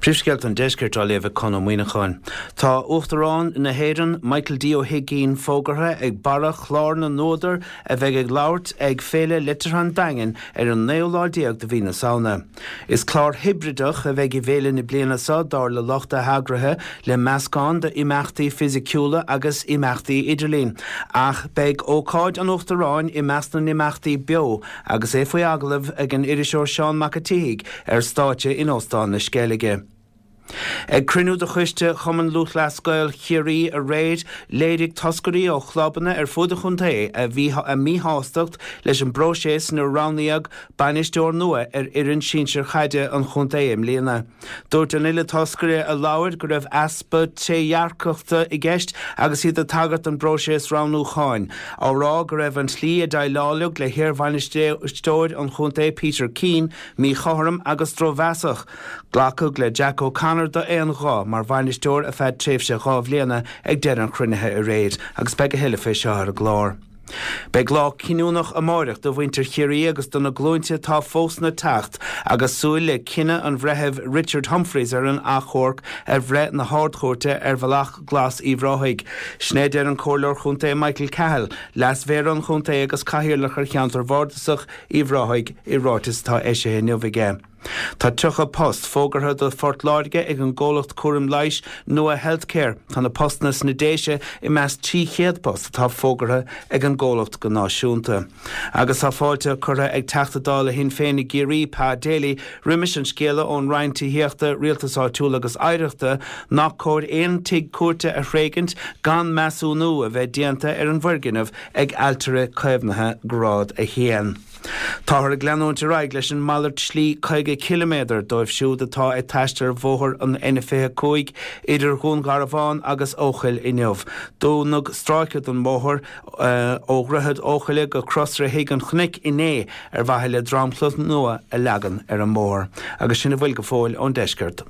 Príomhscéalta an Deiscirt á léamh ag Conn Ó Muíneacháin. Tá Uachtarán na hÉireann, Michael D Ó hUigínn fógartha ag barra chlár na n-údar a bheidh ag labhairt ag Féile Liteartha an Daingin ar an naoú lá déag de mhí na Samhna. Is clár hibrideach a bheidh i bhféile na bliana seo, dar le lucht a heagraithe, le meascán d'imeachtaí fisiciúla agus imeachtaí idirlín. Ach beidh ócáid an Uachtaráin i measc na n-imeachtaí beo agus é faoi agallamh ag an iriseoir Seán Mac a' tSíthigh ar stáitse in Óstán na Sceilge. Ag cruinniú de choiste Chumann Lúthchleas Gael Chiarraí aréir, léirigh toscairí ó chlubanna ar fud an chontae a míshástacht leis an bpróiseas inar roghnaíodh bainisteoir nua ar fhoireann sinsir chaide an chontae i mbliana. Dúirt an uile toscaire a labhair go raibh easpa trédhearcachta i gceist agus iad ag tagairt don bpróiseas roghnúcháin, á rá go raibh an tslí a déileáladh le hiarbhainisteoir an chontae Peter Keane míchothrom agus drochmheasach. Glacadh le Jack O'Connor d'aon ghuth mar bhainisteoir ar feadh tréimhse 2 bhliana ag deireadh an chruinnithe aréir agus beidh a thuilleadh fé seo ar an gclár. Beidh lá cinniúnach amáireach do mhuintir Chiarraí agus do na glúinte atá fós le teacht agus súil le cinneadh an Bhreithimh Richard Humphreys ar an achomharc ar bhreith na hArd-Chúirte ar Bhealach Glas Uíbh Ráthaigh. Sin é a deir an Comhairleoir Chontae Michael Cahill, Leas-Mhéara an Chontae agus Cathaoirleach ar Cheantar Bhardasach Uíbh Ráthaigh i ráiteas atá eisithe inniu aige. Tá 30 post fógartha do Phort Láirge ag an gcomhlacht cúraim leighis Nua Healthcare. Tá na postanna sna Déise i measc 300 post atá fógartha ag an gcomhlacht go náisiúnta. Agus tá fáilte curtha ag Teachta Dála Shinn Féin i gCiarraí, Pa Daly, roimis an scéala ón Roinn Tithíochta, Rialtais Áitiúil agus Oidhreachta nach cóir aon tigh cúirte a thréigint gan measúnú a bheith déanta ar an bhfoirgneamh ag ailtire caomhnaithe Grád 1. Táthar ag leanúint ar aghaidh leis an malairt slí 50 ciliméadar dóibh siúd atá ag taisteal ar bhóthar an N25 idir Dhún Garbhán agus Eochaill inniu. Dúnadh stráice den bhóthar ó Dhroichead Eochaille go Crosaire Thigh an Chnoic inné ar mhaithe le dromchla nua a leagan ar an mbóthar. Agus sin a bhfuil go fóill ón deisceart.